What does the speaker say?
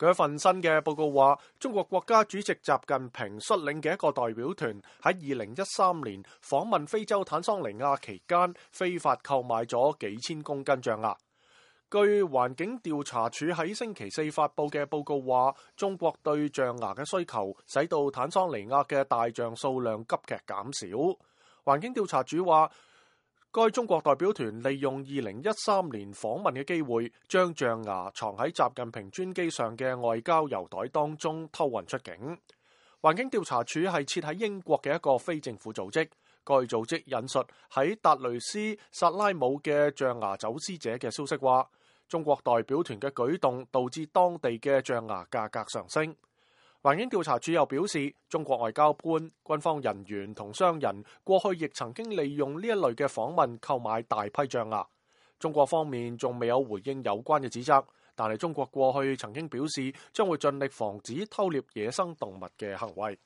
佢一份新嘅報告話，中國國家主席習近平率領嘅一個代表團喺2013年訪問非洲坦桑尼亞期間，非法購買咗幾千公斤象牙。據環境調查署喺星期四發佈嘅報告話，中國對象牙嘅需求使到坦桑尼亞嘅大象數量急劇減少。環境調查署話，該中國代表團利用2013年訪問嘅機會，將象牙藏喺習近平專機上嘅外交郵袋當中偷運出境。環境調查署係設喺英國嘅一個非政府組織，該組織引述喺達雷斯薩拉姆嘅象牙走私者嘅消息話，中國代表團嘅舉動導致當地嘅象牙價格上升。環境調查署又表示，中國外交官、軍方人員同商人過去亦曾經利用呢一類嘅訪問購買大批象牙。中國方面仲未有回應有關嘅指責，但係中國過去曾經表示將會盡力防止偷獵野生動物嘅行為。